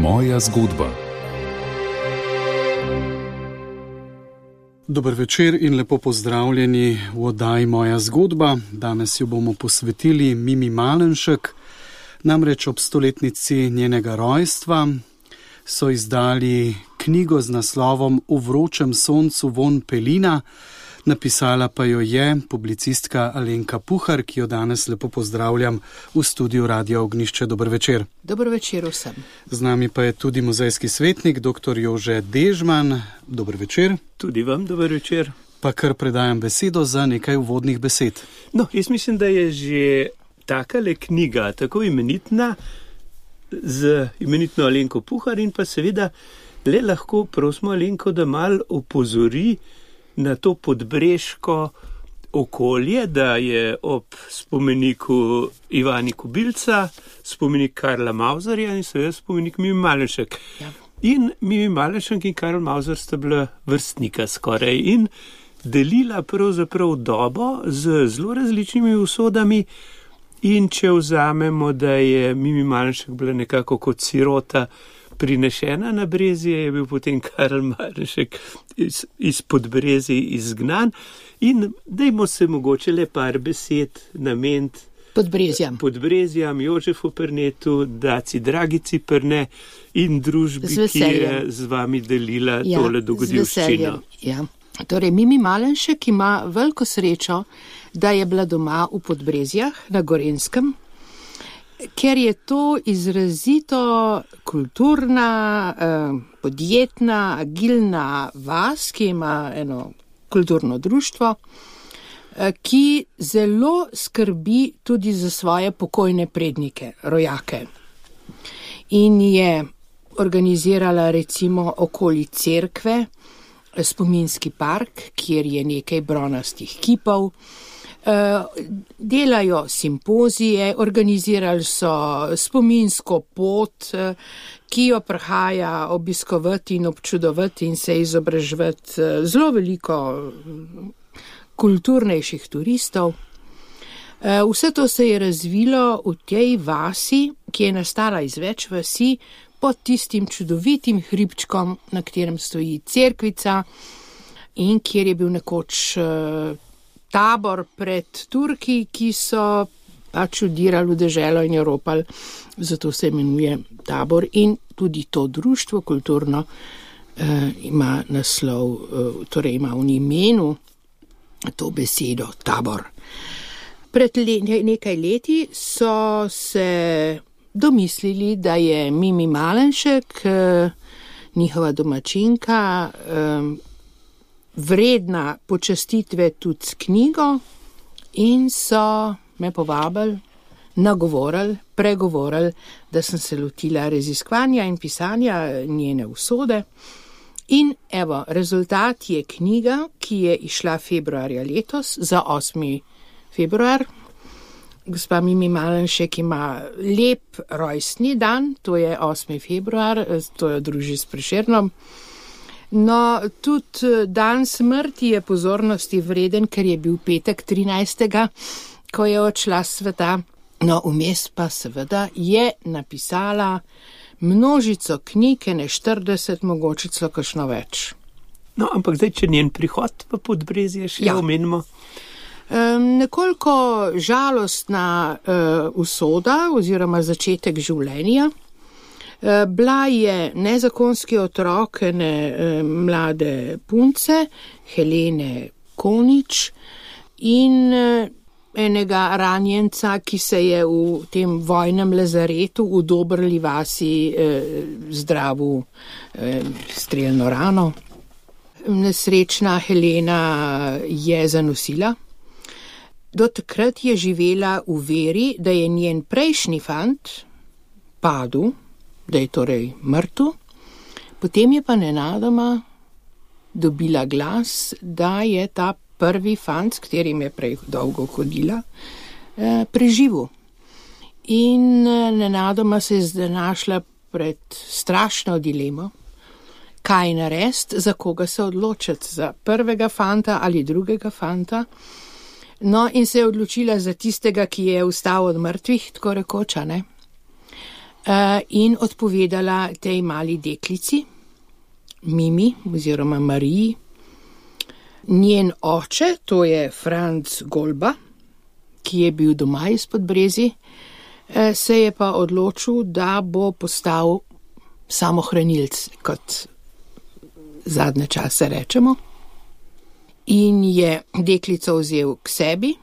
Moja zgodba. Dober večer in lepo pozdravljeni v oddaji Moja zgodba. Danes jo bomo posvetili Mimi Malenšek. Namreč ob 100-letnici njenega rojstva so izdali knjigo z naslovom V vročem soncu vonj pelina. Napisala pa jo je publicistka Alenka Puhar, ki jo danes lepo pozdravljam v studiu Radia Ognjišče. Dober večer. Dober večer vsem. Z nami pa je tudi muzejski svetnik, dr. Jože Dežman. Dober večer. Tudi vam dober večer. Pa kar predajam besedo za nekaj uvodnih besed. No, jaz mislim, da je že takale knjiga tako imenitna z imenitno Alenko Puhar in pa seveda le lahko prosimo Alenko, da mal opozori na to podbreško okolje, da je ob spomeniku Ivani Kubilca spomenik Karla Mauzerja in seveda spomenik Mimi Malenšek. Ja. In Mimi Malenšek in Karl Mauzer sta bila vrstnika skoraj in delila pravzaprav dobo z zelo različnimi usodami. In če vzamemo, da je Mimi Malenšek bila nekako kot sirota prinešena na Brezje, je bil potem Karl Malenšek iz Podbrezij izgnan. In dajmo se mogoče le par besed nameniti Podbrezjam, Jožefu Pernetu, Daci Dragici Perne in družbi, ki je z vami delila tole dogodivščino. Ja. Torej, Mimi Malenšek ima veliko srečo, da je bila doma v Podbrezjah na Gorenjskem, ker je to izrazito kulturna, podjetna, agilna vas, ki ima eno kulturno društvo, ki zelo skrbi tudi za svoje pokojne prednike, rojake. In je organizirala recimo okoli cerkve spominski park, kjer je nekaj bronastih kipov. Delajo simpozije, organizirali so spominsko pot, ki jo prihaja obiskovati in občudovati in se izobraževati zelo veliko kulturnejših turistov. Vse to se je razvilo v tej vasi, ki je nastala iz več vasi, pod tistim čudovitim hribčkom, na katerem stoji cerkvica in kjer je bil nekoč tabor pred Turki, ki so pač vdirali v deželo in jo ropali, zato se imenuje tabor. In tudi to društvo kulturno ima naslov, torej ima v imenu to besedo tabor. Pred nekaj leti so se domislili, da je Mimi Malenšek, njihova domačinka, vredna počastitve tudi s knjigo in so me povabili, nagovorili, pregovorili, da sem se lotila raziskovanja in pisanja njene usode. In evo, rezultat je knjiga, ki je izšla februarja letos, za 8. februar. Gospa Mimi Malenšek ima lep rojstni dan, to je 8. februar, to jo druži s Prešernom. No, tudi dan smrti je pozornosti vreden, ker je bil petek 13., ko je odšla s sveta. No, vmes pa seveda je napisala množico knjig, ne 40, mogoče celo kakšno več. No, ampak zdaj, če njen prihod v Podbrezje še omenimo. Nekoliko žalostna usoda oziroma začetek življenja. Bila je nezakonski otrok ene mlade punce, Helene Konič, in enega ranjenca, ki se je v tem vojnem lazaretu v Dobrli vasi zdravil strelno rano. Nesrečna Helena je zanosila. Do takrat je živela v veri, da je njen prejšnji fant padel, da je torej mrtev, potem je pa nenadoma dobila glas, da je ta prvi fant, s katerim je prej dolgo hodila, preživel. In nenadoma se je znašla pred strašno dilemo, kaj narediti, za koga se odločiti, za prvega fanta ali drugega fanta. No, in se je odločila za tistega, ki je vstal od mrtvih, tako rekoč, ne? in odpovedala tej mali deklici, Mimi oziroma Mariji. Njen oče, to je Franc Golba, ki je bil doma iz Podbrezij, se je pa odločil, da bo postal samohranilc, kot zadnje čase rečemo. In je deklico vzel k sebi,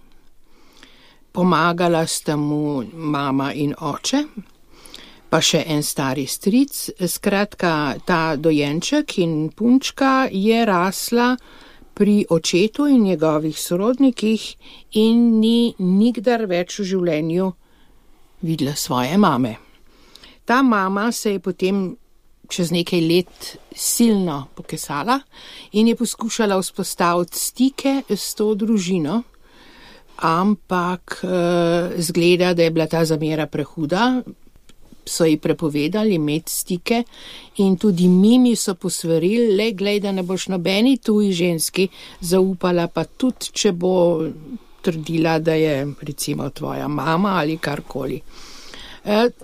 pomagala sta mu mama in oče, pa še en stari stric. Skratka, ta dojenček in punčka je rasla pri očetu in njegovih sorodnikih in ni nikdar več v življenju videla svoje mame. Ta mama se je potem čez nekaj let silno pokesala in je poskušala vzpostaviti stike s to družino, ampak zgleda, da je bila ta zamera prehuda, so ji prepovedali imeti stike in tudi Mimi so posvarili, le glej, da ne boš nobeni tuji ženski zaupala, pa tudi, če bo trdila, da je recimo tvoja mama ali karkoli.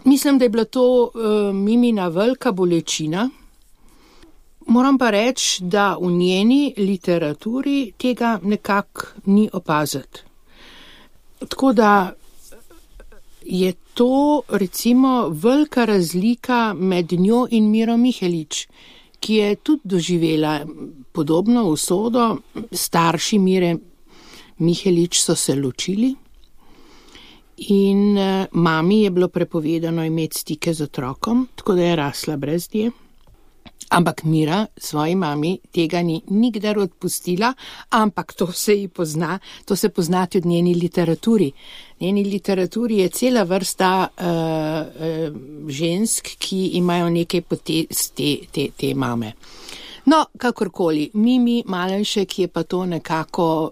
Mislim, da je bila to Mimina velika bolečina. Moram pa reči, da v njeni literaturi tega nekako ni opaziti. Tako da je to recimo velika razlika med njo in Miro Mihelič, ki je tudi doživela podobno usodo. Starši Mire Mihelič so se ločili in mami je bilo prepovedano imeti stike z otrokom, tako da je rasla brez nje. Ampak Mira svoji mami tega ni nikdar odpustila, ampak to se pozna tudi v njeni literaturi. V njeni literaturi je cela vrsta žensk, ki imajo nekaj potez te mame. No, kakorkoli, Mimi Malenšek je pa to nekako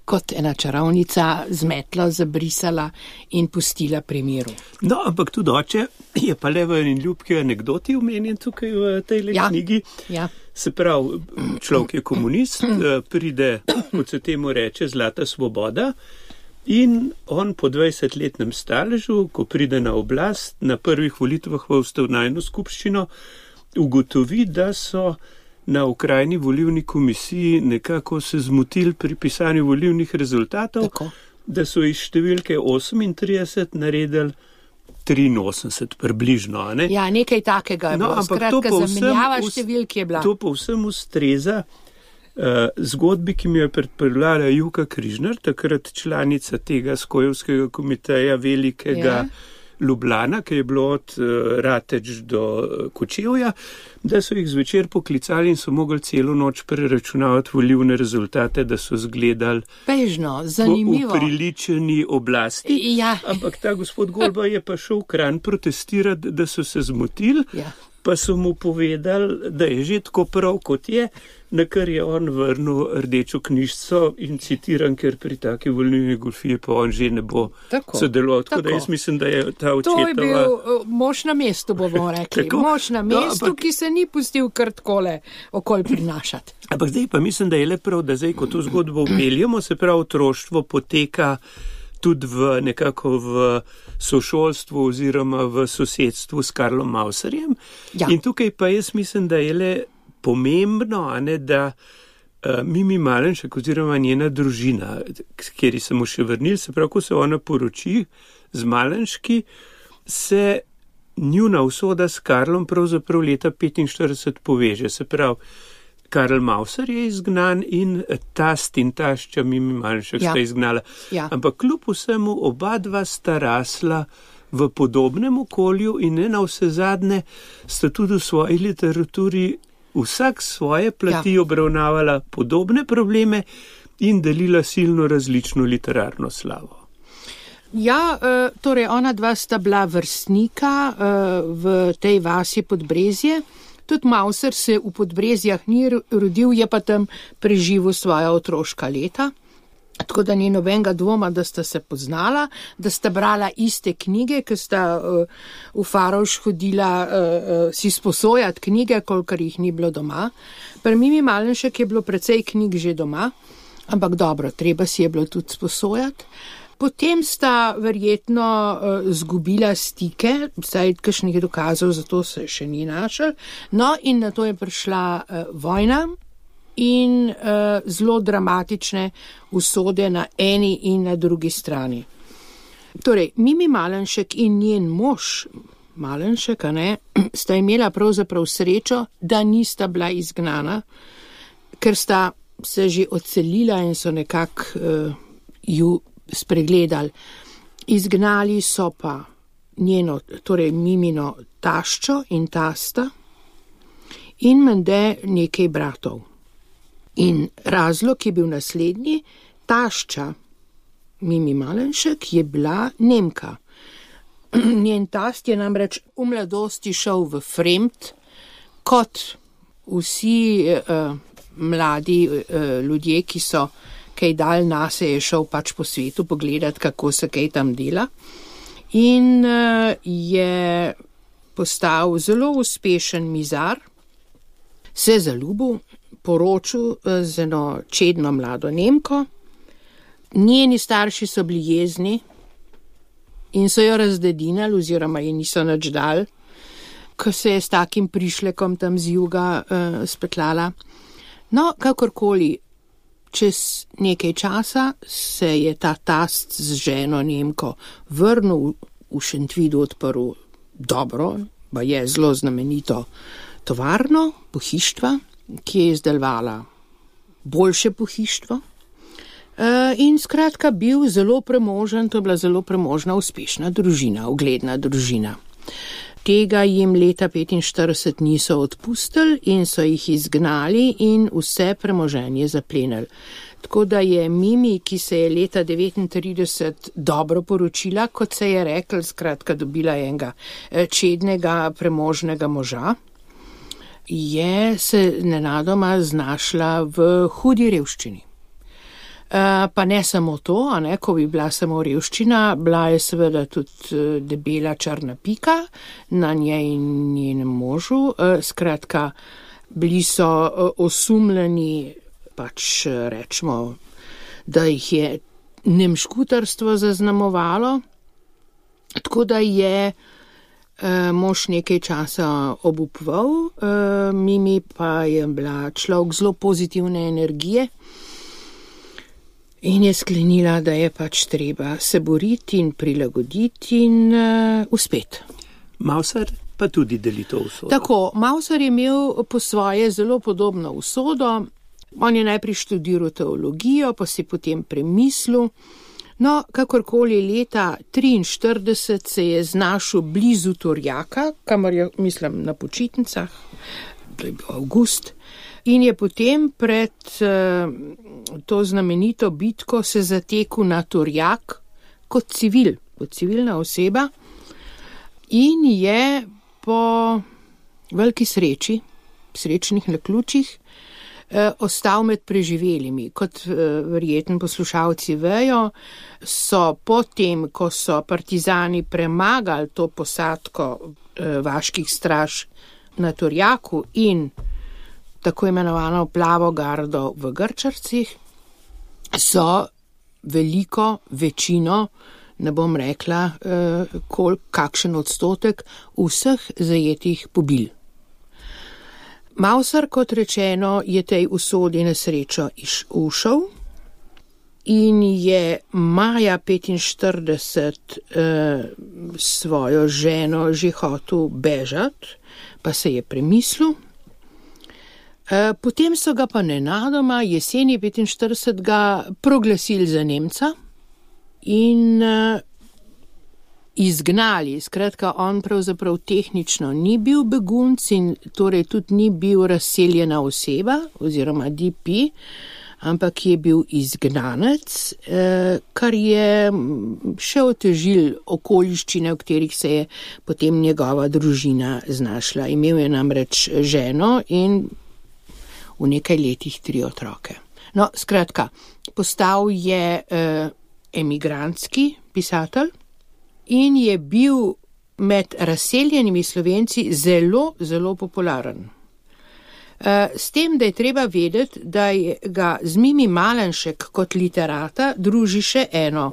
kot ena čarovnica zmetla, zabrisala in pustila pri miru. No, ampak tudi oče je pa le v eni ljubki anekdoti omenjen tukaj v tej knjigi. Ja. Se pravi, človek je komunist, pride, kot se temu reče, zlata svoboda in on po 20-letnem staležu, ko pride na oblast, na prvih volitvah v ustavnajno skupščino, ugotovi, da so na okrajni volilni komisiji nekako se zmotili pri pisanju volilnih rezultatov, tako, da so iz številke 38 naredili 83 približno. Ne? Ja, nekaj takega je bilo. Skratka, zamenjava številke je bila. To povsem ustreza zgodbi, ki mi je predpravljala Juka Križnar, takrat članica tega Skojevskega komiteja velikega Ljubljana, ki je bilo od Rateč do Kočevja, da so jih zvečer poklicali in so mogli celo noč preračunavati volilne rezultate, da so zgledali bežno, zanimivo, upriličeni oblasti. Ja. Ampak ta gospod Golba je pa šel v Kranj protestirati, da so se zmotili, pa so mu povedali, da je že tako prav, kot je, na kar je on vrnil rdečo knjižico in citiram, ker pri taki volilni goljufiji pa on že ne bo sodeloval. Tako da jaz mislim, da je ta očetova... To je bil mož na mestu, bomo rekli. Mož na mestu, ki se ni pustil kar takole okoli prinašati. Ampak zdaj pa mislim, da je le prav, da zdaj, ko to zgodbo upeljamo, se pravi, otroštvo poteka tudi nekako v sošolstvu oziroma v sosedstvu s Karlom Mauserjem. Ja. In tukaj pa jaz mislim, da je le pomembno, da Mimi Malenšek oziroma njena družina, kjer se mu še vrnil, se pravi, ko se ona poroči z Malenški, se njuna usoda s Karlom pravzaprav leta 1945 poveže. Se pravi, Karl Mauser je izgnan in tast in tašča Mimi Malenšek sta izgnala. Ja. Ampak kljub vsemu oba dva sta rasla v podobnem okolju in ne na vse zadnje sta tudi v svoji literaturi vsak svoje plati obravnavala podobne probleme in delila silno različno literarno slavo. Ja, torej ona dva sta bila vrstnika v tej vasi Podbrezje. Tudi Mauser se v Podbrezjah ni rodil, je pa tam preživel svoja otroška leta. Tako da ni nobenega dvoma, da sta se poznala, da sta brala iste knjige, ker sta v Farovš hodila si sposojati knjige, kolikor jih ni bilo doma. Pri Mimi Malenšek je bilo precej knjig že doma, ampak dobro, treba si je bilo tudi sposojati. Potem sta verjetno zgubila stike, saj kakšnih dokazov za to se še ni našel, no in na to je prišla vojna in zelo dramatične usode na eni in na drugi strani. Torej, Mimi Malenšek in njen mož, Malenšek, sta imela pravzaprav srečo, da nista bila izgnana, ker sta se že odselila in so nekako ju spregledali. Izgnali so pa njeno, torej Mimino taščo in tasta in menda nekaj bratov. In razlog je bil naslednji, tašča Mimi Malenšek je bila Nemka. Njen tast je namreč v mladosti šel v Fremt, kot vsi mladi ljudje, ki so kaj dal nase, je šel pač po svetu pogledati, kako se kaj tam dela. In je postal zelo uspešen mizar, se zaljubil, poročil z eno čedno mlado Nemko. Njeni starši so bili jezni in so jo razdedinali oziroma je niso nič dali, ko se je s takim prišlekom tam z juga spetlala. No, kakorkoli, čez nekaj časa se je ta tast z ženo Nemko vrnil v Šentvidu, odprl dobro, pa je zelo znamenito tovarno, pohištva, ki je izdelovala boljše pohištvo. In skratka bil zelo premožen, to je bila zelo premožna, uspešna družina, ugledna družina. Tega jim leta 1945 niso odpustili in so jih izgnali in vse premoženje zaplenili. Tako da je Mimi, ki se je leta 1939 dobro poročila, kot se je rekel, skratka dobila enega čednega premožnega moža, je se nenadoma znašla v hudi revščini. Pa ne samo to, ko bi bila samo revščina, bila je seveda tudi debela črna pika na njej in njenem možu. Skratka, bili so osumljeni, pač rečemo, da jih je nemškutarstvo zaznamovalo, tako da je mož nekaj časa obupval, Mimi pa je bila človek zelo pozitivne energije, in je sklenila, da je pač treba se boriti in prilagoditi in uspeti. Mauser pa tudi deli to usodo. Tako, Mauser je imel po svoje zelo podobno usodo. On je najprej študiral teologijo, pa si potem premislil. No, kakorkoli leta 1943 se je znašel blizu Torjaka, kamor je, mislim, na počitnicah, to je bil avgust, in je potem pred to znamenito bitko se zatekel na Torjak kot civilna oseba in je po veliki sreči, srečnih naključjih, ostal med preživelimi. Kot verjetno poslušalci vejo, so potem, ko so partizani premagali to posadko vaških straž na Torjaku in tako imenovano plavo gardo v Grčarcih, so veliko večino, ne bom rekla, kakšen odstotek vseh zajetih pobil. Mauser, kot rečeno, je tej usodi na srečo ušel in je maja 1945 svojo ženo že hotel bežati, pa se je premislil. Potem so ga pa nenadoma jeseni 1945 proglasili za Nemca in izgnali. Skratka, on pravzaprav tehnično ni bil begunc in torej tudi ni bil razseljena oseba oziroma DP, ampak je bil izgnanec, kar je še otežil okoliščine, v katerih se je potem njegova družina znašla. Imel je namreč ženo in v nekaj letih 3 otroke. No, skratka, postal je emigrantski pisatelj in je bil med razseljenimi Slovenci zelo, zelo popularen. S tem, da je treba vedeti, da ga z Mimi Malenšek kot literata druži še eno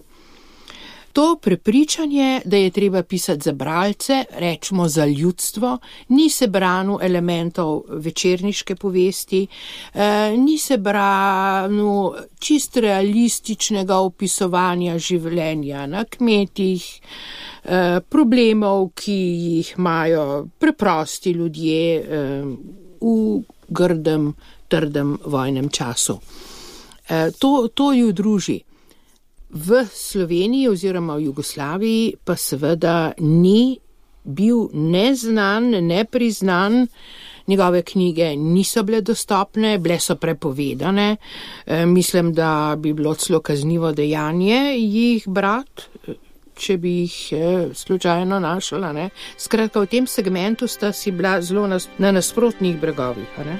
To prepričanje, da je treba pisati za bralce, rečemo za ljudstvo, ni se branil elementov večerniške povesti, ni se branil čist realističnega opisovanja življenja na kmetih, problemov, ki jih imajo preprosti ljudje v grdem, trdem vojnem času. To ju druži. V Sloveniji oziroma v Jugoslaviji pa seveda ni bil neznan, nepriznan, njegove knjige niso bile dostopne, bile so prepovedane. Mislim, da bi bilo celo kaznivo dejanje jih brati, če bi jih slučajno našla, ne. Skratka, v tem segmentu sta si bila zelo na nasprotnih bregovih, ne.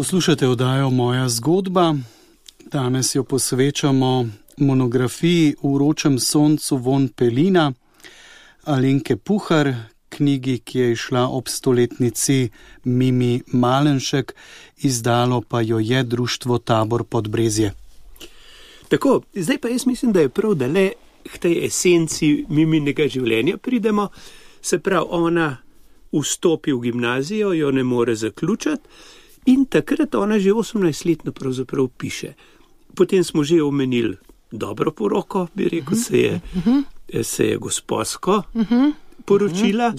Poslušate oddajo Moja zgodba. Danes jo posvečamo monografiji V vročem soncu von Pelina Alenke Puhar, knjigi, ki je išla ob stoletnici Mimi Malenšek, izdalo pa jo je društvo Tabor Podbrezje. Tako, zdaj pa jaz mislim, da je prav, da le k tej esenci Miminega življenja pridemo. Se pravi, ona vstopi v gimnazijo, jo ne more zaključiti. In takrat ona že 18-letno pravzaprav piše. Potem smo že omenili dobro poroko, bi rekel, se je gospodsko poročila.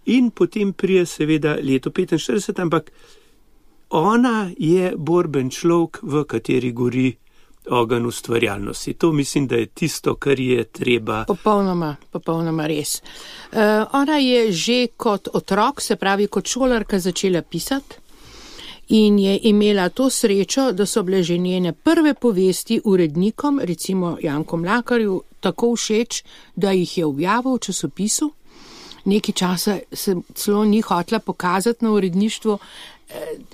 In potem prije seveda leto 45, ampak ona je borben človek, v kateri gori ogenj ustvarjalnosti. To mislim, da je tisto, kar je treba. Popolnoma res. Ona je že kot otrok, se pravi kot šolarka, začela pisati. In je imela to srečo, da so bile že njene prve povesti urednikom, recimo Janku Mlakarju, tako všeč, da jih je objavil v časopisu. Nekaj časa se celo ni hotela pokazati na uredništvu,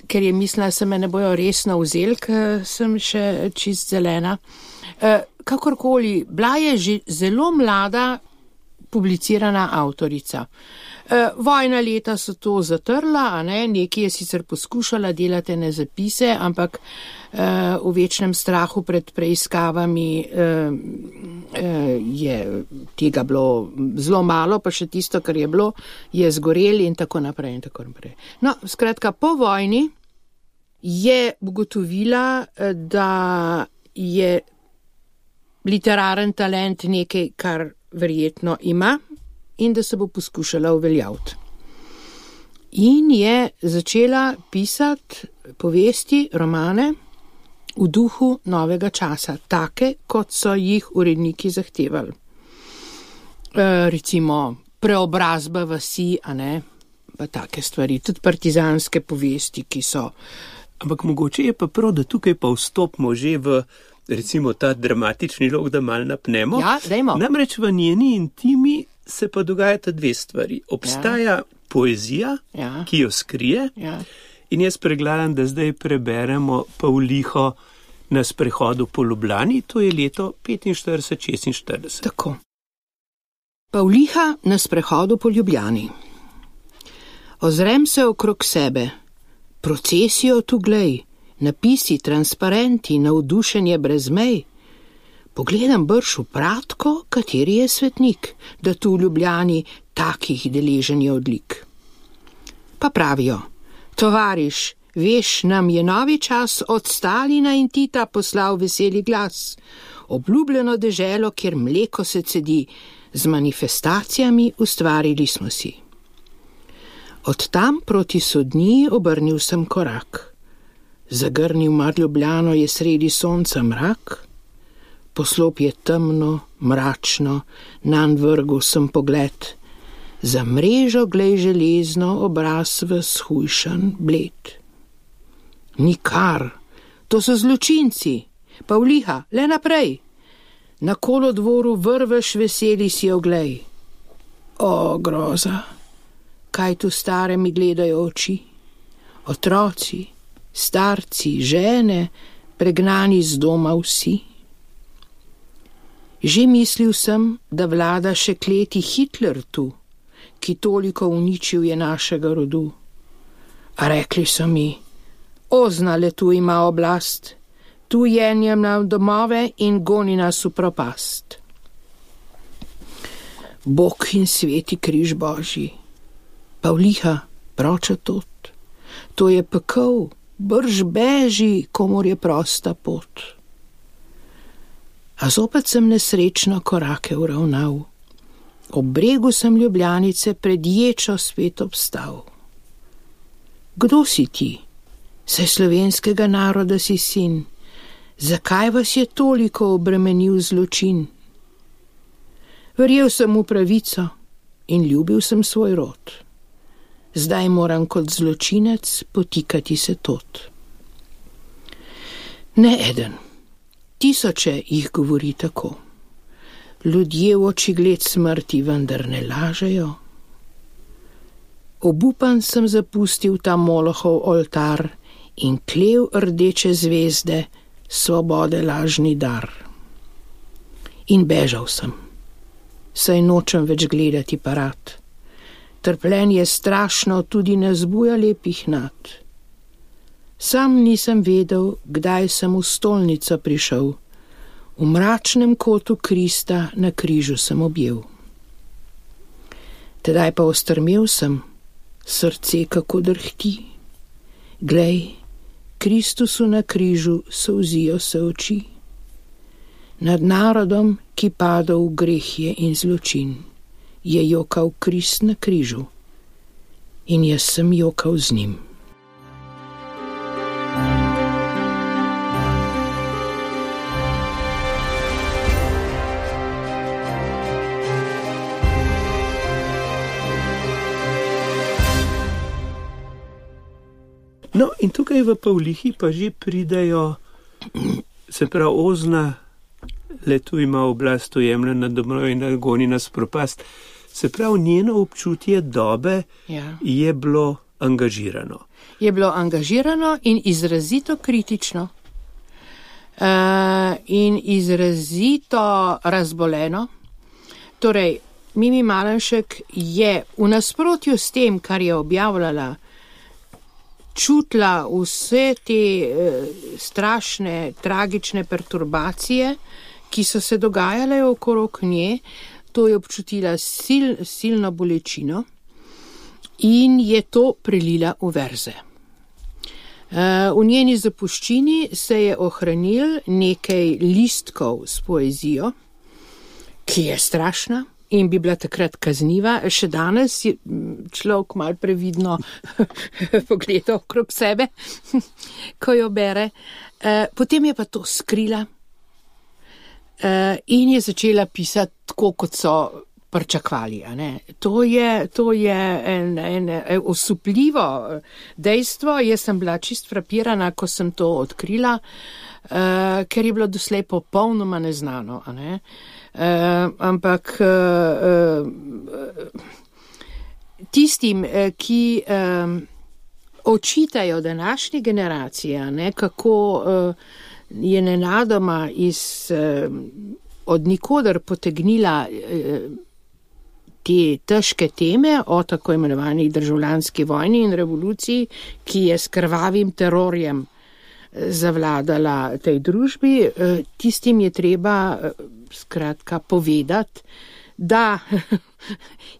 ker je mislila, da se me ne bojo resno vzeli, ker sem še čist zelena. Kakorkoli, bila je že zelo mlada publicirana avtorica. Vojna leta so to zatrla, nekaj je sicer poskušala delati na zapise, ampak v večnem strahu pred preiskavami je tega bilo zelo malo, pa še tisto, kar je bilo, je zgoreli in tako naprej in tako naprej. No, skratka, po vojni je ugotovila, da je literaren talent nekaj, kar verjetno ima, in da se bo poskušala uveljaviti. In je začela pisati povesti, romane v duhu novega časa, take, kot so jih uredniki zahtevali. Recimo preobrazba vasi, pa take stvari, tudi partizanske povesti, ki so. Ampak mogoče je pa prav, da tukaj pa vstopimo že v recimo ta dramatični lok, da mal napnemo. Ja, dajmo. Namreč v njeni intimi se pa dogajata dve stvari. Obstaja poezija, ki jo skrije, in jaz predlagam, da zdaj preberemo Pavliho na sprehodu po Ljubljani, to je leto 45-46. Tako. Pavliha na sprehodu po Ljubljani. Ozrem se okrog sebe, procesijo tu glej, napisi, transparenti, navdušenje brez mej. Pogledam brž v pratko, kateri je svetnik, da tu v Ljubljani takih deležen je odlik. Pa pravijo, tovariš, veš, nam je novi čas od Stalina in Tita poslal veseli glas, obljubljeno deželo, kjer mleko se cedi, z manifestacijami ustvarili smo si. Od tam proti Sodni obrnil sem korak. Zagrnil mar Ljubljano je sredi sonca mrak, poslop je temno, mračno, nanj vrgel sem pogled, za mrežo glej železno obraz v shujšan bled. Nikar, to so zločinci, Pavliha, le naprej, na kolodvoru vrveš veseli si oglej. O, groza, kaj tu stare mi gledajo oči, otroci, starci, žene, pregnani z doma vsi. Že mislil sem, da vlada še kleti Hitler tu, ki toliko uničil je našega rodu. A rekli so mi, Ozna le tu ima oblast, tu jenjem nam domove in goni nas v propast. Bog in sveti križ Božji, Pavliha, proča tot, to je pekel, brž beži, komor je prosta pot. A zopet sem nesrečno korake uravnal, ob bregu sem Ljubljanice pred ječo spet obstal. Kdo si ti? Saj slovenskega naroda si sin, zakaj vas je toliko obremenil zločin? Verjel sem v pravico in ljubil sem svoj rod. Zdaj moram kot zločinec potikati se tot. Ne eden, tisoče jih govori tako. Ljudje v očigled smrti vendar ne lažejo. Obupan sem zapustil ta Molohov oltar in klev rdeče zvezde, svobode lažni dar. In bežal sem, saj nočem več gledati parad. Trpljenje strašno tudi ne zbuja lepih nad. Sam nisem vedel, kdaj sem v stolnico prišel. V mračnem kotu Krista na križu sem objel. Tedaj pa ostrmel sem, srce kako drhti. Glej, Kristusu na križu solzijo se oči. Nad narodom, ki padal v greh je in zločin, je jokal Krist na križu in jaz sem jokal z njim. No, in tukaj v Pavlihi pa že pridejo, se pravi, Ozna, le tu ima oblast, ujemlja na domov in goni nas propast. Se pravi, njeno občutje dobe je bilo angažirano. Je bilo angažirano in izrazito kritično. In izrazito razboleno. Torej, Mimi Malenšek je v nasprotju s tem, kar je objavljala, čutila vse te strašne, tragične perturbacije, ki so se dogajale okrog nje. To je občutila silno bolečino in je to prelila v verze. V njeni zapuščini se je ohranil nekaj listkov s poezijo, ki je strašna in bi bila takrat kazniva. Še danes je človek malo previdno pogleda okrog sebe, ko jo bere. Potem je pa to skrila in je začela pisati tako, kot so pričakovali. To je en osupljivo dejstvo. Jaz sem bila čist frapirana, ko sem to odkrila, ker je bilo doslej popolnoma neznano. Ampak tistim, ki očitajo današnji generaciji, kako je nenadoma od nikoder potegnila te težke teme o tako imenovani državljanski vojni in revoluciji, ki je s krvavim terorjem zavladala tej družbi, tistim je treba skratka povedati, da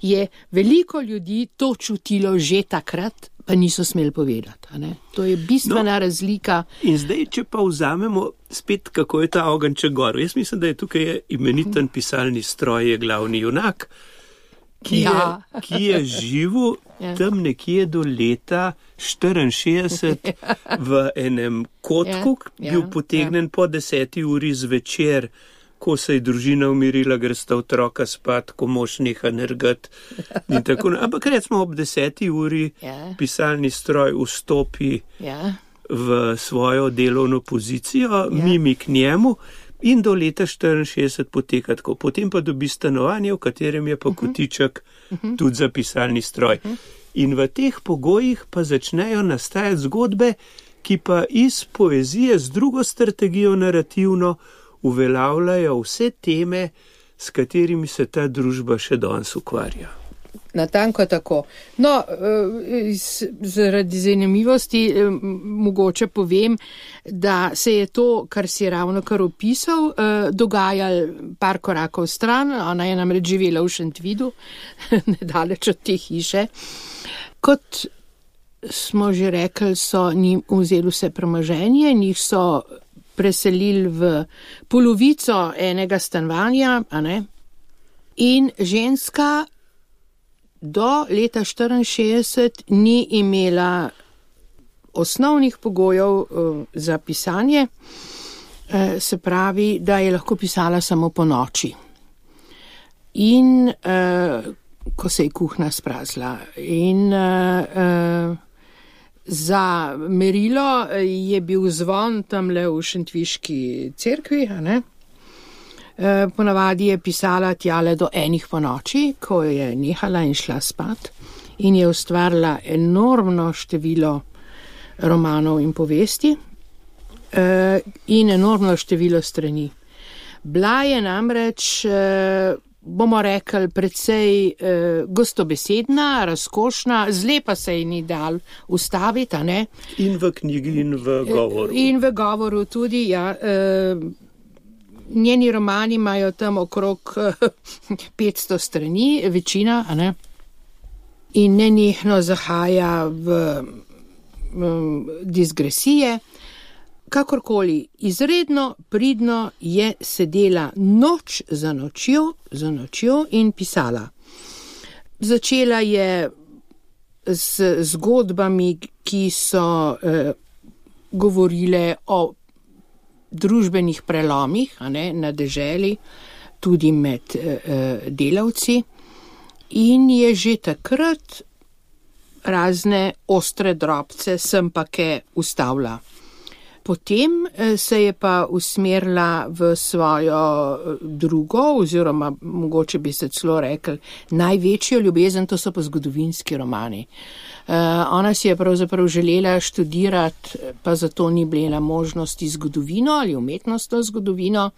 je veliko ljudi to čutilo že takrat, pa niso smeli povedati. To je bistvena razlika. In zdaj, če pa vzamemo spet, kako je ta ogenček gor. Jaz mislim, da je tukaj imeniten pisalni stroj, je glavni junak, ki je živel tam nekje do leta 64 v enem kotku, bil potegnen po 10. uri zvečer, ko se je družina umirila, gre sta otroka spat, ko mož neha nergat in tako. Ampak recimo ob 10. uri pisalni stroj vstopi v svojo delovno pozicijo, Mimi k njemu in do leta 64 poteka tako. Potem pa dobi stanovanje, v katerem je pa kotiček tudi za pisalni stroj. In v teh pogojih pa začnejo nastajati zgodbe, ki pa iz poezije z drugo strategijo narativno uveljavljajo vse teme, s katerimi se ta družba še danes ukvarja. Natanko tako. No, zaradi zanimivosti mogoče povem, da se je to, kar si ravno kar opisal, dogajalo par korakov stran. Ona je namreč živela v Šentvidu, nedaleč od te hiše. Kot smo že rekli, so njim vzeli vse premoženje, njih so preselili v polovico enega stanovanja, a ne? In ženska do leta 1964 ni imela osnovnih pogojev za pisanje, se pravi, da je lahko pisala samo po noči. In ko se je kuhna sprazila. In za merilo je bil zvon tamle v Šentviški cerkvi, a ne? Ponavadi je pisala tjale do 1 po noči, ko je nehala in šla spat, in je ustvarila enormno število romanov in povesti in enormno število strani. Bila je namreč, bomo rekli, precej gostobesedna, razkošna, zlepa se ji ni dal ustaviti, a ne? In v knjigi, in v govoru. In v govoru tudi, ja. Njeni romani imajo tam okrog 500 strani, večina, a ne? In nenehno zahaja v digresije. Kakorkoli, izredno pridno je sedela noč za nočjo in pisala. Začela je z zgodbami, ki so govorile o družbenih prelomih, a ne, na deželi, tudi med delavci, in je že takrat razne ostre drobce sem pa ke ustavila. Potem se je pa usmerila v svojo drugo, oziroma mogoče bi se celo rekli največjo ljubezen, to so pa zgodovinski romani. Ona si je pravzaprav želela študirati, pa zato ni bila možnosti zgodovino ali umetnostno zgodovino,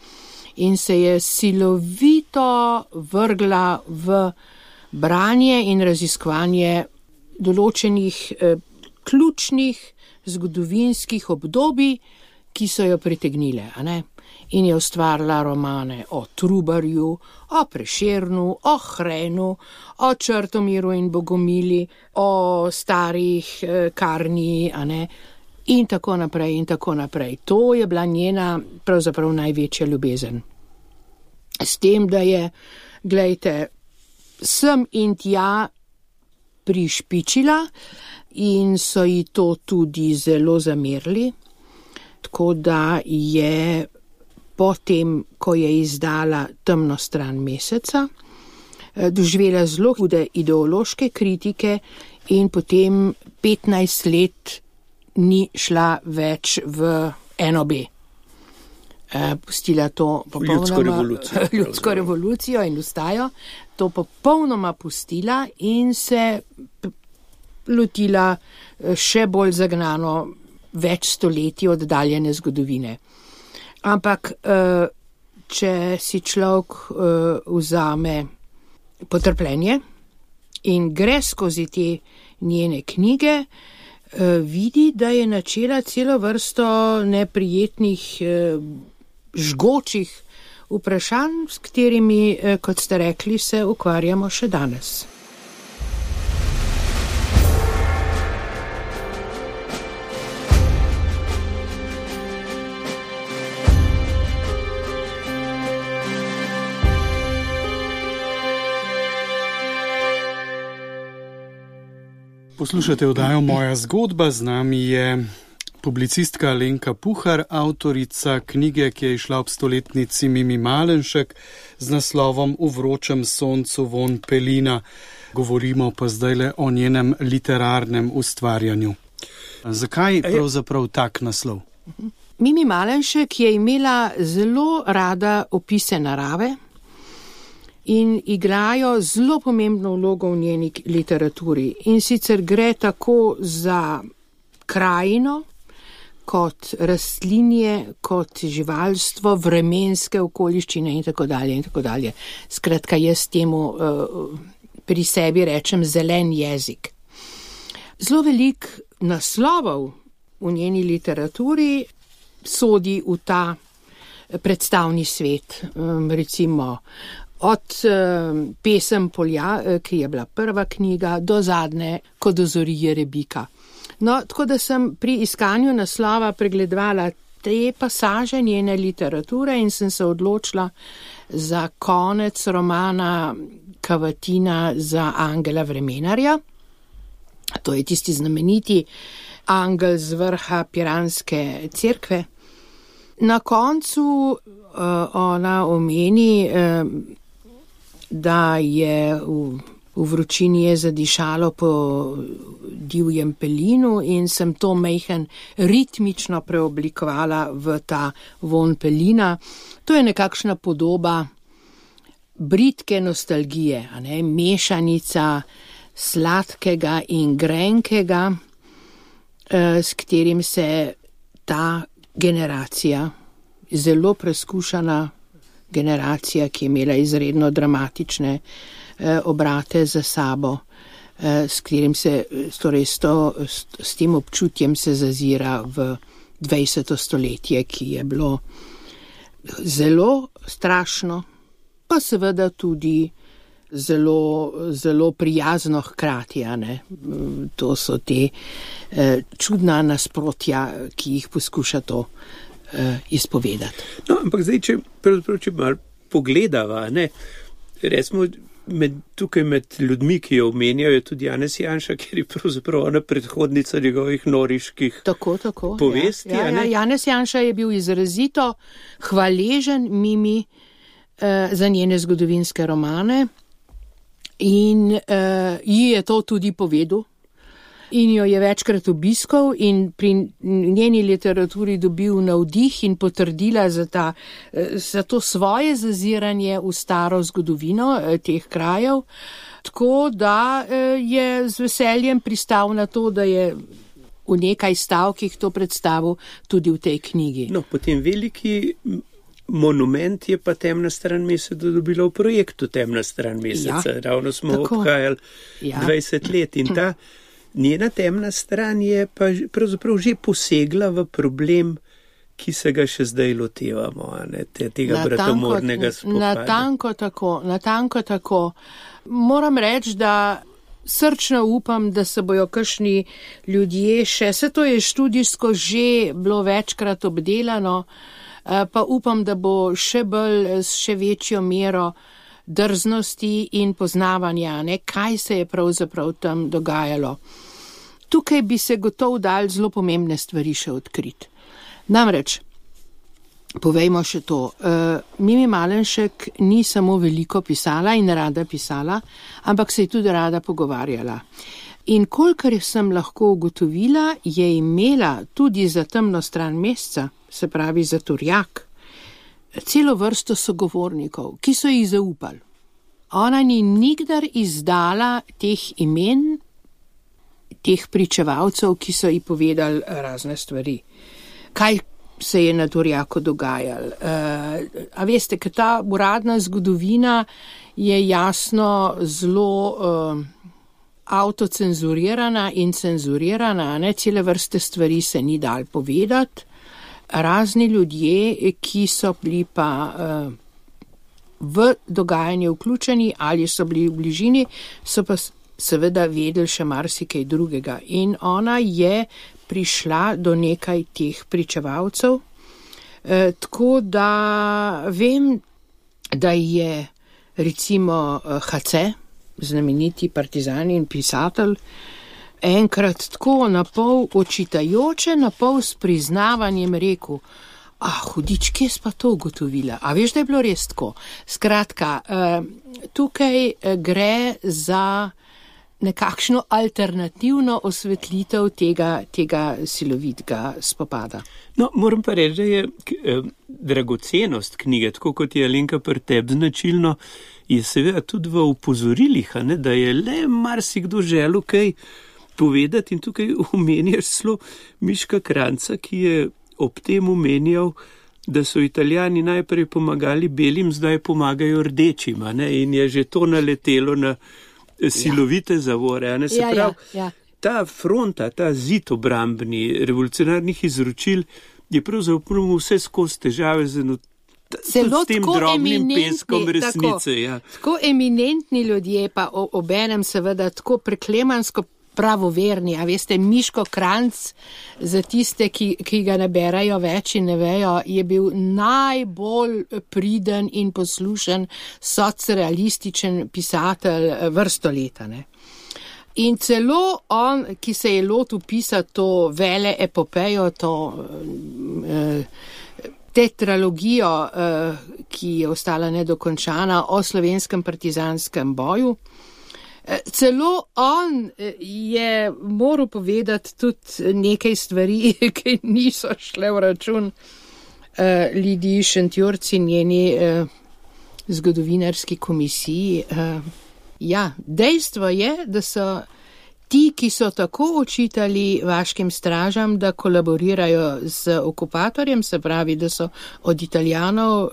in se je silovito vrgla v branje in raziskovanje določenih ključnih zgodovinskih obdobij, ki so jo pritegnile, a ne? In je ustvarila romane o Trubarju, o Prešernu, o Hrenu, o Črtomiru in Bogomili, o starih Karni, a ne? In tako naprej, in tako naprej. To je bila njena pravzaprav največja ljubezen. S tem, da je, glejte, sem in tja prišpičila in so ji to tudi zelo zamerili, tako da je potem, ko je izdala Temno stran meseca, doživela zelo hude ideološke kritike in potem 15 let ni šla več v NOB. Pustila to popolnoma ljudsko revolucijo in ustajo, to popolnoma pustila in se lotila še bolj zagnano več stoletij oddaljene zgodovine. Ampak, če si človek vzame potrpljenje in gre skozi te njene knjige, vidi, da je načela celo vrsto neprijetnih, žgočih vprašanj, s katerimi, kot ste rekli, se ukvarjamo še danes. Poslušate oddajo Moja zgodba, z nami je publicistka Alenka Puhar, avtorica knjige, ki je izšla ob stoletnici Mimi Malenšek z naslovom V vročem soncu von pelina. Govorimo pa zdajle o njenem literarnem ustvarjanju. Zakaj pravzaprav tak naslov? Mimi Malenšek je imela zelo rada opise narave in igrajo zelo pomembno vlogo v njeni literaturi. In sicer gre tako za krajino, kot rastlinje, kot živalstvo, vremenske okoliščine in tako dalje in tako dalje. Skratka, jaz temu pri sebi rečem zelen jezik. Zelo veliko naslovov v njeni literaturi sodi v ta predstavni svet, recimo od Pesem polja, ki je bila prva knjiga, do zadnje, Ko dozori Jerebika. No, tako da sem pri iskanju naslova pregledovala te pasaže njene literature in sem se odločila za konec romana Cavatina za Angela Vremenarja. To je tisti znameniti angel z vrha Piranske cerkve. Na koncu ona omeni, da je v vročini je zadišalo po divjem pelinu in sem to majhen ritmično preoblikovala v ta vonj pelina. To je nekakšna podoba bridke nostalgije, a ne, mešanica sladkega in grenkega, s katerim se ta generacija, zelo preskušana generacija, ki je imela izredno dramatične obrate za sabo, s katerim se, torej s tem občutjem se zazira v 20. stoletje, ki je bilo zelo strašno, pa seveda tudi zelo prijazno hkrati, a ne. To so te čudna nasprotja, ki jih poskuša to izpovedati. No, ampak zdaj, če malo pogledava, ne, recimo tukaj med ljudmi, ki jo omenjajo, je tudi Janez Janša, ker je pravzaprav ona predhodnica njegovih noriških povesti. Ja, Janez Janša je bil izrazito hvaležen Mimi za njene zgodovinske romane in ji je to tudi povedal. In jo je večkrat obiskal in pri njeni literaturi dobil navdih in potrdila za to svoje zaziranje v staro zgodovino teh krajev, tako da je z veseljem pristal na to, da je v nekaj stavkih to predstavil tudi v tej knjigi. No, potem veliki monument je pa Temna stran meseca dobila v projektu Temna stran meseca. Ja, ravno smo obhajali 20 let in ta njena temna stran je pa pravzaprav že posegla v problem, ki se ga še zdaj lotevamo, tega bratomornega spopada. Natanko tako. Moram reči, da srčno upam, da se bojo kakšni ljudje se to je študijsko že bilo večkrat obdelano, pa upam, da bo še večjo mero drznosti in poznavanja, kaj se je pravzaprav tam dogajalo. Tukaj bi se gotovo dal zelo pomembne stvari še odkriti. Namreč, povejmo še to, Mimi Malenšek ni samo veliko pisala in rada pisala, ampak se je tudi rada pogovarjala. In kolikor sem lahko ugotovila, je imela tudi za Temno stran meseca, se pravi za Turjak, celo vrsto sogovornikov, ki so jih zaupali. Ona ni nikdar izdala teh imen, teh pričevalcev, ki so ji povedali razne stvari. Kaj se je na Turjaku dogajalo? A veste, ker ta uradna zgodovina je jasno zelo avtocenzurirana in cenzurirana, cele vrste stvari se ni dal povedati. Razni ljudje, ki so bili pa v dogajanje vključeni ali so bili v bližini, so pa seveda vedeli še marsikaj drugega. In ona je prišla do nekaj teh pričevalcev, tako da vem, da je recimo HC, znameniti partizan in pisatelj, enkrat tako napol očitajoče, napol s priznavanjem rekel, hudič, kje si pa to ugotovila? A veš, da je bilo res tako? Skratka, tukaj gre za nekakšno alternativno osvetlitev tega silovitega spopada. No, moram pa reči, da je dragocenost knjige, tako kot je Alenka pri tebi značilno, je seveda tudi v upozorilih, da je le marsikdo želel kaj povedati in tukaj omenjaš celo Miška Kranjca, ki je ob tem omenjal, da so Italijani najprej pomagali belim, zdaj pomagajo rdečim, in je že to naletelo na silovite zavore. Ne, se pravi, ta fronta, ta zid obrambni revolucionarnih izročil je pravzaprav vse skozi težave z tem drobnim peskom resnice. Tako eminentni ljudje, pa obenem seveda tako preklemansko pravoverni, a veste, Miško Kranjc, za tiste, ki ga ne berajo več in ne vejo, je bil najbolj priden in poslušen socrealističen pisatelj vrsto leta, ne. In celo on, ki se je lotil pisati to vele epopejo, to tetralogijo, ki je ostala nedokončana o slovenskem partizanskem boju, celo on je moral povedati tudi nekaj stvari, ki niso šle v račun Lidiji Šentjurc in njeni zgodovinarski komisiji. Dejstvo je, da so ti, ki so tako očitali vaškim stražam, da kolaborirajo z okupatorjem, se pravi, da so od Italijanov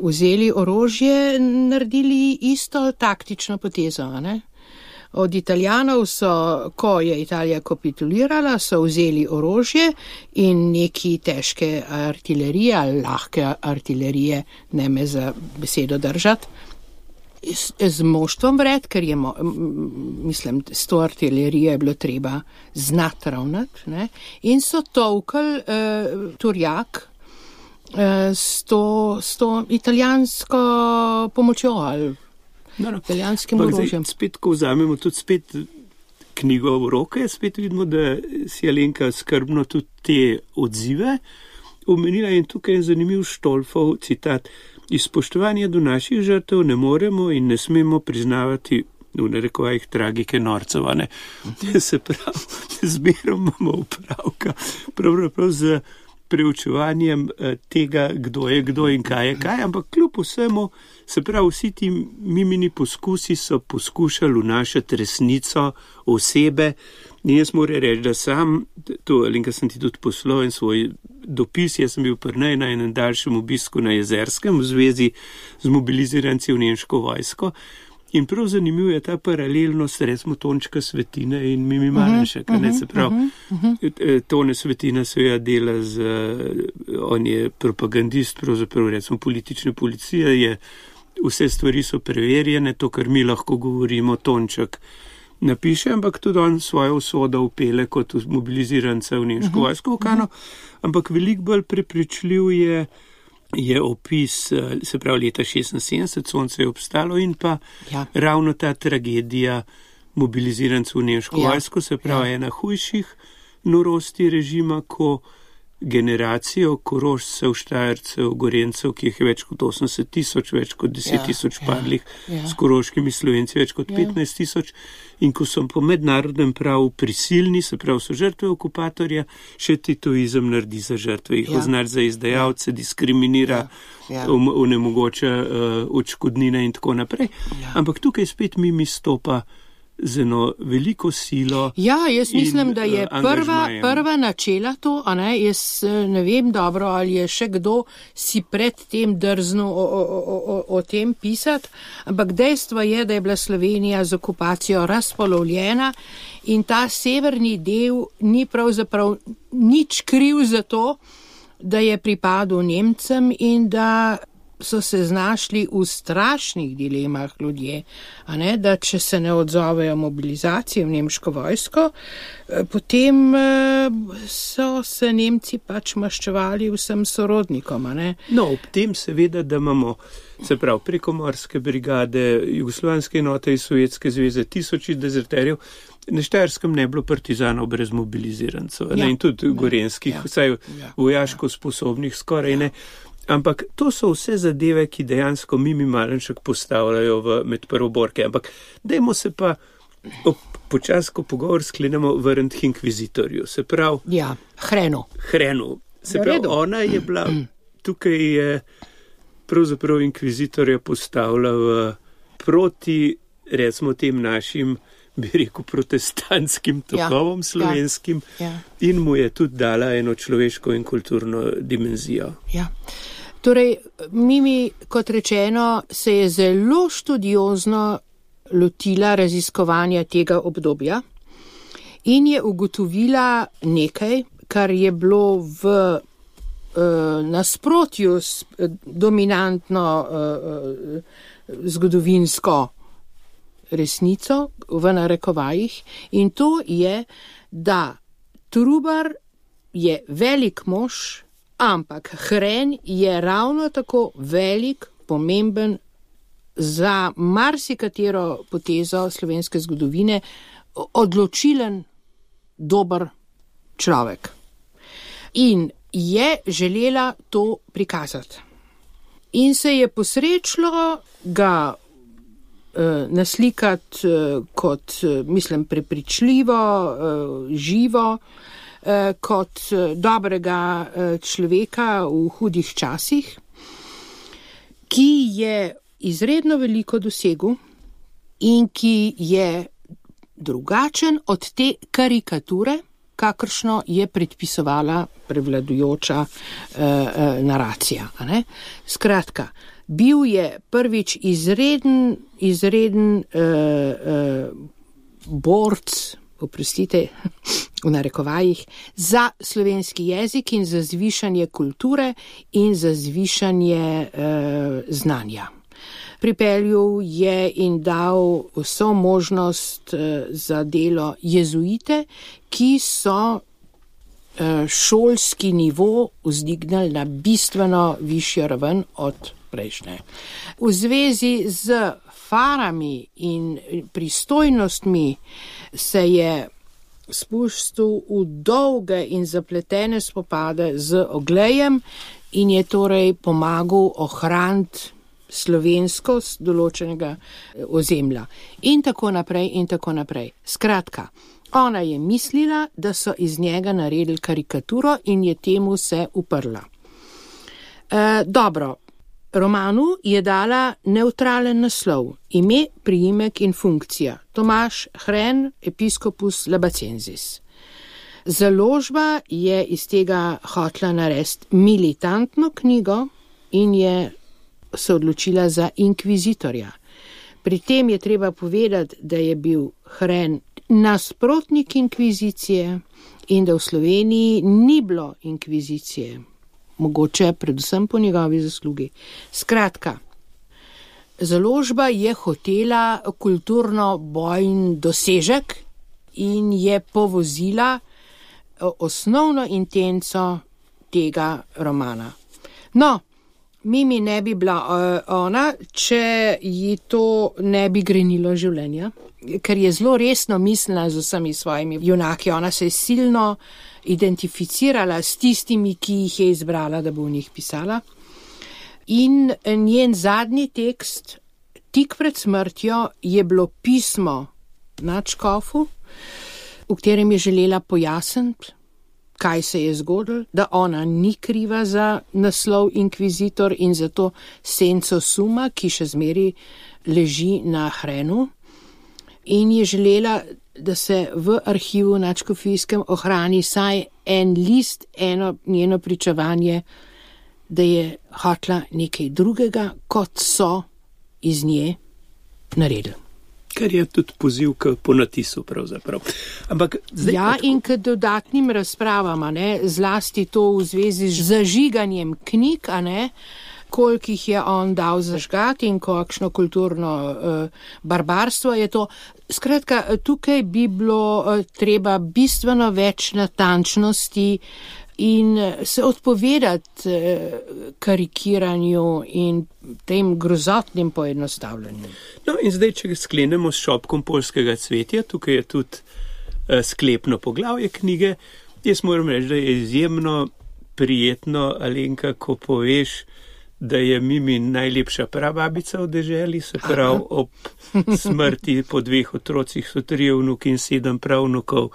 vzeli orožje, naredili isto taktično potezo, ne? Od Italijanov so, ko je Italija kapitulirala, so vzeli orožje in neki težke artilerije, ali lahke artilerije, ne me za besedo držati, z moštvom vred, ker je, mislim, s to artilerijo je bilo treba znati ravnati, ne? In so tolkali Turjak s to italijansko pomočjo ali italijanskim orožjem. Spet, ko vzamemo tudi spet knjigo v roke, spet vidimo, da si Alenka skrbno tudi te odzive omenila in tukaj je zanimiv Štolfov citat. Iz spoštovanja do naših žrtev ne moremo in ne smemo priznavati v narekovajih tragike norcev, ne. Se pravi, zmerom imamo opravka pravzaprav z preučevanjem tega, kdo je kdo in kaj je kaj, ampak kljub vsemu, se pravi, vsi ti mimini poskusi so poskušali vnašati resnico osebe in jaz moram reči, da sam, to Alenka sem ti tudi poslal in svoj dopis, jaz sem bil prnej na enem daljšem obisku na Jezerskem v zvezi z mobiliziranci v nemško vojsko in prav zanimiv je ta paralelnost, recimo Tončka Svetina in Mimi Malenšek, ne, se pravi, Tone Svetina seveda dela on je propagandist, pravzaprav recimo politične policije, vse stvari so preverjene, to, kar mi lahko govorimo, Tonček napiše, ampak tudi on svojo usodo upele kot mobiliziranca v nemško vojsko v Kano, ampak veliko bolj prepričljiv je opis, se pravi leta 76, sonce je obstalo in pa ravno ta tragedija mobilizirancev v nemško vojsko, se pravi ena hujših norosti režima, ko generacijo Korošcev, Štajercev, Gorencev, ki jih je več kot 80 000, več kot 10 000 padlih, s koroškimi Slovenci več kot 15 000 in ko so po mednarodnem pravu prisilni, se pravi so žrtve okupatorja, še titoizem naredi za žrtve, jih označi za izdajalce, diskriminira, onemogoča odškodnine in tako naprej. Ampak tukaj spet Mimi stopa z eno veliko silo. Jaz mislim, da je prva načela to, a ne, jaz ne vem dobro, ali je še kdo si pred tem drznil o tem pisati, ampak dejstvo je, da je bila Slovenija z okupacijo razpolovljena in ta severni del ni pravzaprav nič kriv za to, da je pripadal Nemcem in da so se znašli v strašnih dilemah ljudje, a ne, da če se ne odzovejo mobilizaciji v nemško vojsko, potem so se Nemci pač maščevali vsem sorodnikom, a ne. No, ob tem seveda, da imamo, se pravi, prekomorske brigade, jugoslovanske enote iz Sovjetske zveze, tisoči dezerterjev, na Štajerskem ne bilo partizanov brez mobilizirancev, in tudi gorenskih, vsaj vojaško sposobnih skoraj ne. Ampak to so vse zadeve, ki dejansko Mimi Malenšek postavljajo med prvoborke. Ampak dajmo se pa počasi, ko pogovor sklenemo, vrniti k inkvizitorju. Se pravi... Hrenu. Se pravi, ona je bila, tukaj je pravzaprav inkvizitorja postavila proti, recimo, tem našim, bi rekel, protestantskim tokovom slovenskim in mu je tudi dala eno človeško in kulturno dimenzijo. Torej, Mimi, kot rečeno, se je zelo študiozno lotila raziskovanja tega obdobja in je ugotovila nekaj, kar je bilo v nasprotju s dominantno zgodovinsko resnico v narekovajih, in to je, da Trubar je velik mož, ampak Hren je ravno tako velik, pomemben, za marsikatero potezo slovenske zgodovine odločilen, dober človek. In je želela to prikazati. In se je posrečilo ga naslikati kot, mislim, prepričljivo, živo, kot dobrega človeka v hudih časih, ki je izredno veliko dosegel in ki je drugačen od te karikature, kakršno je predpisovala prevladujoča naracija. Ne? Skratka, bil je prvič izreden borc, oprostite, v narekovajih, za slovenski jezik in za zvišanje kulture in za zvišanje znanja. Pripeljal je in dal vso možnost za delo jezuite, ki so šolski nivo vzdignili na bistveno višjo raven od prejšnje. V zvezi z farami in pristojnostmi se je spustil v dolge in zapletene spopade z Oglejem in je torej pomagal ohraniti slovenskost določenega ozemlja. In tako naprej, in tako naprej. Skratka, ona je mislila, da so iz njega naredili karikaturo in je temu se uprla. Dobro, romanu je dala nevtralen naslov, ime, priimek in funkcija. Tomaž Hren, episkopus Labacensis. Založba je iz tega hotela narediti militantno knjigo in je se odločila za inkvizitorja. Pri tem je treba povedati, da je bil Hren nasprotnik inkvizicije in da v Sloveniji ni bilo inkvizicije, mogoče predvsem po njegovi zaslugi. Skratka, založba je hotela kulturno bojni dosežek in je povozila osnovno intenco tega romana. No, Mimi ne bi bila ona, če ji to ne bi grenilo življenja, ker je zelo resno mislila z vsemi svojimi junaki. Ona se je silno identificirala s tistimi, ki jih je izbrala, da bo v njih pisala. In njen zadnji tekst, tik pred smrtjo, je bilo pismo nadškofu, v katerem je želela pojasniti, kaj se je zgodilo, da ona ni kriva za naslov inkvizitor in za to senco suma, ki še zmeri leži na Hrenu, in je želela, da se v arhivu nadškofijskem ohrani saj en list, eno njeno pričevanje, da je hotela nekaj drugega, kot so iz nje naredili. Kar je tudi poziv k ponatisu pravzaprav. Ampak zdaj, ja, in k dodatnim razpravama, ne, zlasti to v zvezi z zažiganjem knjig, a ne, koliko jih je on dal zažgati in kakšno kulturno barbarstvo je to. Skratka, tukaj bi bilo treba bistveno več natančnosti in se odpovedati karikiranju in tem grozotnim poenostavljanju. No in zdaj, če sklenemo s šopkom poljskega cvetja, tukaj je tudi sklepno poglavje knjige. Jaz moram reči, da je izjemno prijetno, Alenka, ko poveš, da je Mimi najlepša prababica v deželi, se pravi ob smrti po 2 otrocih so 3 vnuki in 7 pravnukov.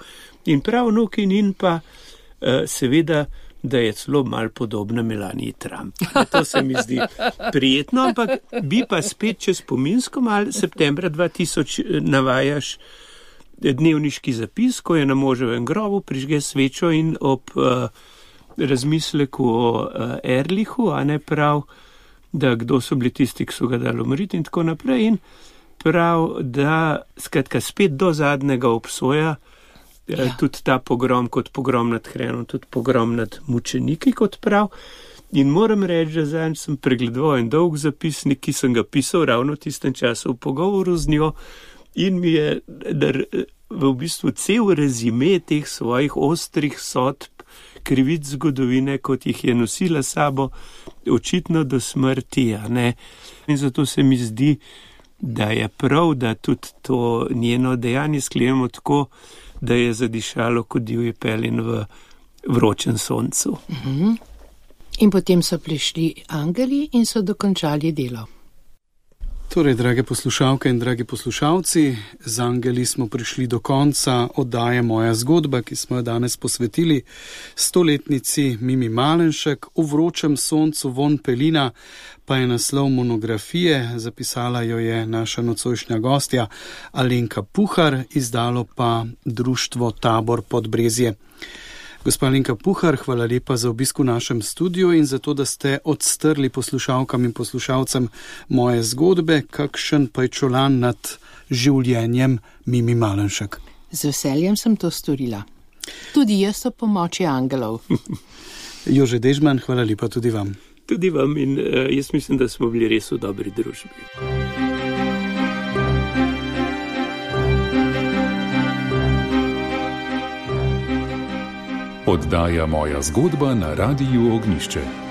In pravnuki in pa seveda, da je celo malo podobna Melaniji Trump. To se mi zdi prijetno, ampak bi pa spet čez spominsko malo septembra 2000 navajaš dnevniški zapis, ko je na moževem grobu prižge svečo in ob razmisleku o Erlichu, a ne prav, da kdo so bili tisti, ki so ga dali umriti in tako naprej. In pravi, da skratka spet do zadnjega obsoja tudi ta pogrom kot pogrom nad hrenom, tudi pogrom nad mučeniki, kot prav. In moram reči, da zanj sem pregledoval en dolg zapisnik, ki sem ga pisal ravno v tistem času v pogovoru z njo in mi je v bistvu cel rezime teh svojih ostrih sodb, krivic zgodovine, kot jih je nosila sabo, očitno do smrti, ne. In zato se mi zdi, da je prav, da tudi to njeno dejanje sklenemo tako, da je zadišalo kot divji pelin v vročem soncu. In potem so prišli angeli in so dokončali delo. Torej, drage poslušalke in dragi poslušalci, z angeli smo prišli do konca oddaje Moja zgodba, ki smo jo danes posvetili 100-letnici Mimi Malenšek. V vročem soncu von pelina pa je naslov monografije, zapisala jo je naša nocojšnja gostja Alenka Puhar, izdalo pa društvo Tabor Podbrezje. Gospa Alenka Puhar, hvala lepa za obisk v našem studiu in za to, da ste odstrli poslušalkam in poslušalcem moje zgodbe, kakšen pajčolan nad življenjem Mimi Malenšek. Z veseljem sem to storila. Tudi jaz o pomoči angelov. Jože Dežman, hvala lepa tudi vam. Tudi vam in jaz mislim, da smo bili res v dobri družbi. Oddaja Moja zgodba na Radiu Ognjišče.